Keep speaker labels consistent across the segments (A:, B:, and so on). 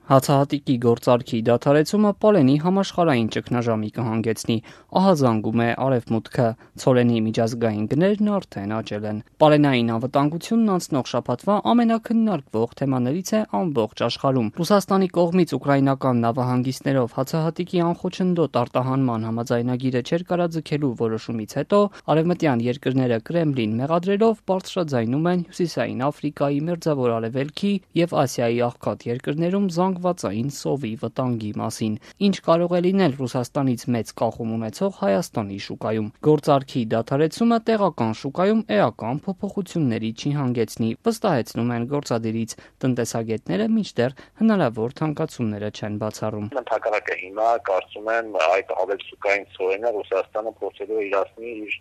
A: Հացահատիկի գործարքի դադարեցումը պարենի համաշխարհային ճգնաժամի կհանգեցնի, ահազանգում է Արևմուտքը, ցորենի միջազգային գներն արդեն աճել են։ Պարենային անվտանգությունն անցնող շաբաթվա ամենակննարկվող թեմաներից է ամբողջ աշխարհում։ Ռուսաստանի կողմից ուկրաինական նավահանգիստներով հացահատիկի անխոչնդոտ արտահանման համաձայնագիրը չէր կարաձգելու որոշումից հետո արևմտյան երկրները Կրեմլին մեղադրելով բարձրաձայնում են Հյուսիսային Աֆրիկայի, Մերձավոր Արևելքի եւ Ասիայի աղքատ երկրներում զանգվածային սովի վտանգի մասին, ինչ կարող է լինել Ռուսաստանից մեծ կախում ունեցող Հայաստանի շուկայում։ Գործարքի դադարեցումը տեղական շուկայում էական փոփոխությունների չի հանգեցնի, վստահեցնում են գործադիրից տնտեսագետները, մինչդեռ հնարավոր թանկացումները չեն բացառում։
B: Ընդհակառակը հիմա կարծում եմ այդ ավելցուկային ցորենը Ռուսաստանը փորձելու է իրացնել իր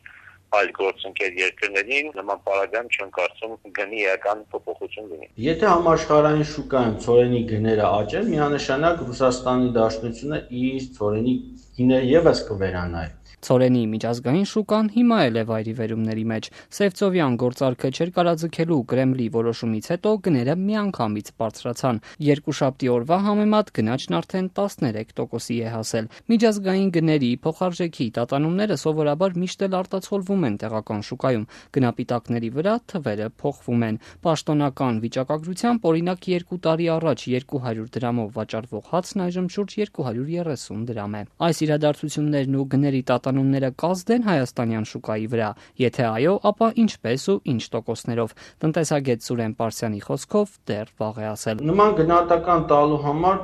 B: այլ գործընկեր երկրներին, նման պարագայում չեմ կարծում գնի էական փոփոխություն լինի։
C: Եթե համաշխարհային շուկայում ցորենի գները աճեն, միանշանակ Ռուսաստանի Դաշնությունը իր ցորենի գինը եւս կվերանայի։
A: Ցորենի միջազգային շուկան հիմա էլ է վայրիվերումների մեջ։ Սևծովյան գործարքը չէր կարաձգելու Կրեմլի որոշումից հետո գները միանգամից բարձրացան։ Երկուշաբթի օրվա համեմատ գնաճն արդեն 13%-ի է հասել։ Միջազգային գների փոխարժեքի տատանումները սովորաբար միշտ էլ արտացոլվում են տեղական շուկայում։ Գնապիտակների վրա թվերը փոխվում են։ Պաշտոնական վիճակագրությամբ օրինակ 2 տարի առաջ 200 դրամով վաճառվող հացն այժմ շուրջ 230 դրամ է։ Այս իրադարձություններն ու գների տատանումները կազդեն հայաստանյան շուկայի վրա։ Եթե այո, ապա ինչպես ու ինչ տոկոսներով։ Տնտեսագետ Սուրեն Պարսյանի խոսքով դեռ վաղ է ասել։
C: Նման գնահատական տալու համար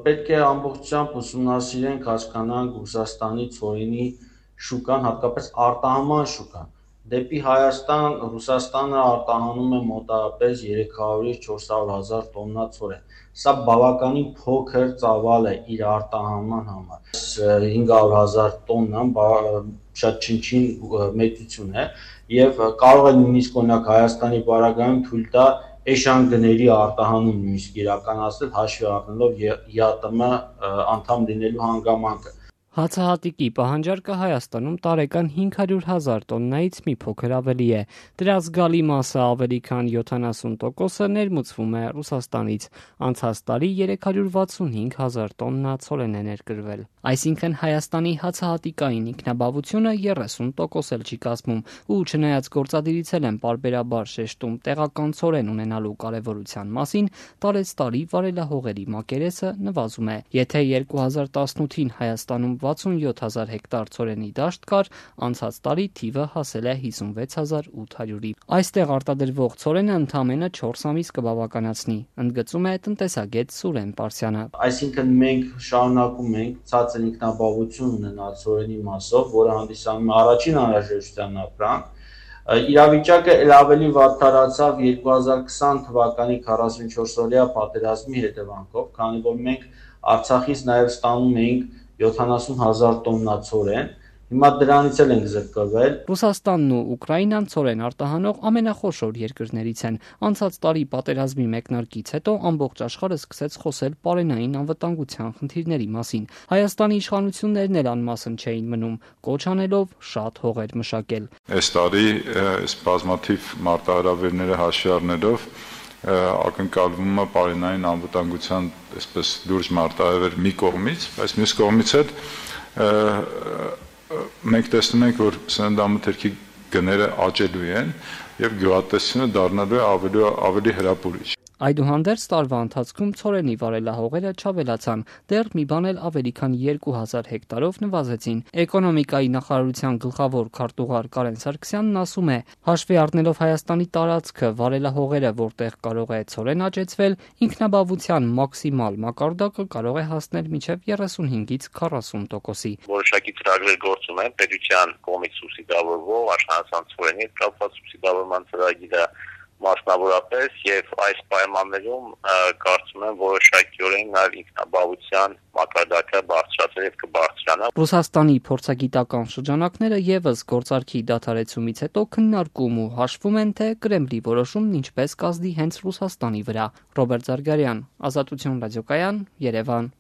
C: պետք է ամբողջությամբ ուսումնասիրենք, հասկանանք Ռուսաստանի ցորենի շուկան, հատկապես արտահանման շուկան։ Դեպի Հայաստան Ռուսաստանը արտահանում է մոտավորապես 300-ից 400,000 տոննա ցորեն։ Սա բավականին փոքր ծավալ է իր արտահանման համար։ 500,000 տոննան շատ չնչին մեծություն է եւ կարող է նույնիսկ օրինակ Հայաստանի պարագայում թույլ տա էշան գների արտահանում նույնիսկ իրականացնել հաշվի առնելով ԵԱՏՄ անդամ լինելու հանգամանքը։
A: Հացահատիկի պահանջարկը Հայաստանում տարեկան 500,000 տոննայից մի փոքր ավելի է։ Դրա զգալի մասը ավելի քան 70%-ը ներմուծվում է Ռուսաստանից։ Անցած տարի 365,000 տոննա ցորեն է ներկրվել։ Այսինքն Հայաստանի հացահատիկային ինքնաբավությունը 30% էլ չի կազմում, ու չնայած գործադիրից են պարբերաբար շեշտում տեղական ցորեն ունենալու կարևորության մասին, տարեցտարի վարելահողերի մակերեսը նվազում է։ Եթե 2018-ին Հայաստանում 67,000 հեկտար ցորենի դաշտ կար, անցած տարի թիվը հասել է 56,800-ի։ Այստեղ արտադրվող ցորենը ընդամենը 4 ամիս կբավականացնի, ընդգծում է տնտեսագետ Սուրեն Պարսյանը։
C: Այսինքն մենք շարունակում ենք ցածր ինքնաբավություն ունենալ ցորենի մասով, որը հանդիսանում է առաջին անհրաժեշտության ապրանք։ Իրավիճակը ել ավելի վատթարացավ 2020 թվականի 44-օրյա պատերազմի հետևանքով, քանի որ մենք Արցախից նաև ստանում էինք 70,000 տոննա ցորեն, հիմա դրանից էլ ենք զրկվել։
A: Ռուսաստանն ու Ուկրաինան ցորեն արտահանող ամենախոշոր երկրներից են։ Անցած տարի պատերազմի մեկնարկից հետո ամբողջ աշխարհը սկսեց խոսել պարենային անվտանգության խնդիրների մասին։ Հայաստանի իշխանություններն էլ անմասն չէին մնում, կոչ անելով շատ հողեր մշակել։
D: Այս տարի այս բազմաթիվ մարտահրավերները հաշվի առնելով ակնկալվում է պարենային անվտանգության այսպես լուրջ մարտահրավեր մի կողմից, բայց մյուս կողմից էլ մենք տեսնում ենք, որ սննդամթերքի գները աճելու են եւ գյուղատնտեսությունը դառնալու է ավելի հրապուրիչ։
A: Այդուհանդերձ տարվա ընթացքում ցորենի վարելահողերը չավելացան, դեռ մի բան էլ ավելի քան 2,000 հեկտարով նվազեցին։ Էկոնոմիկայի նախարարության գլխավոր քարտուղար Կարեն Սարգսյանն ասում է, հաշվի առնելով Հայաստանի տարածքը, վարելահողերը, որտեղ կարող է ցորեն աճեցվել, ինքնաբավության մաքսիմալ մակարդակը կարող է հասնել մինչև 35-ից 40%-ի։
B: Որոշակի ծրագրեր գործում են պետության կողմից սուբսիդավորվող աշխարհական ցորենի կապված սուբսիդավորման ծրագիրը մասնավորապես եւ այս պայմաններում կարծում եմ որոշակիորեն նաեւ ինքնաբավության մակարդակը բարձրացել եւ կբարձրանա։
A: Ռուսաստանի փորձագիտական շրջանակները եւս գործարքի դադարեցումից հետո քննարկում ու հաշվում են, թե Կրեմլի որոշումն ինչպես կազդի հենց Ռուսաստանի վրա։ Ռոբերտ Զարգարյան, Ազատություն ռադիոկայան, Երևան։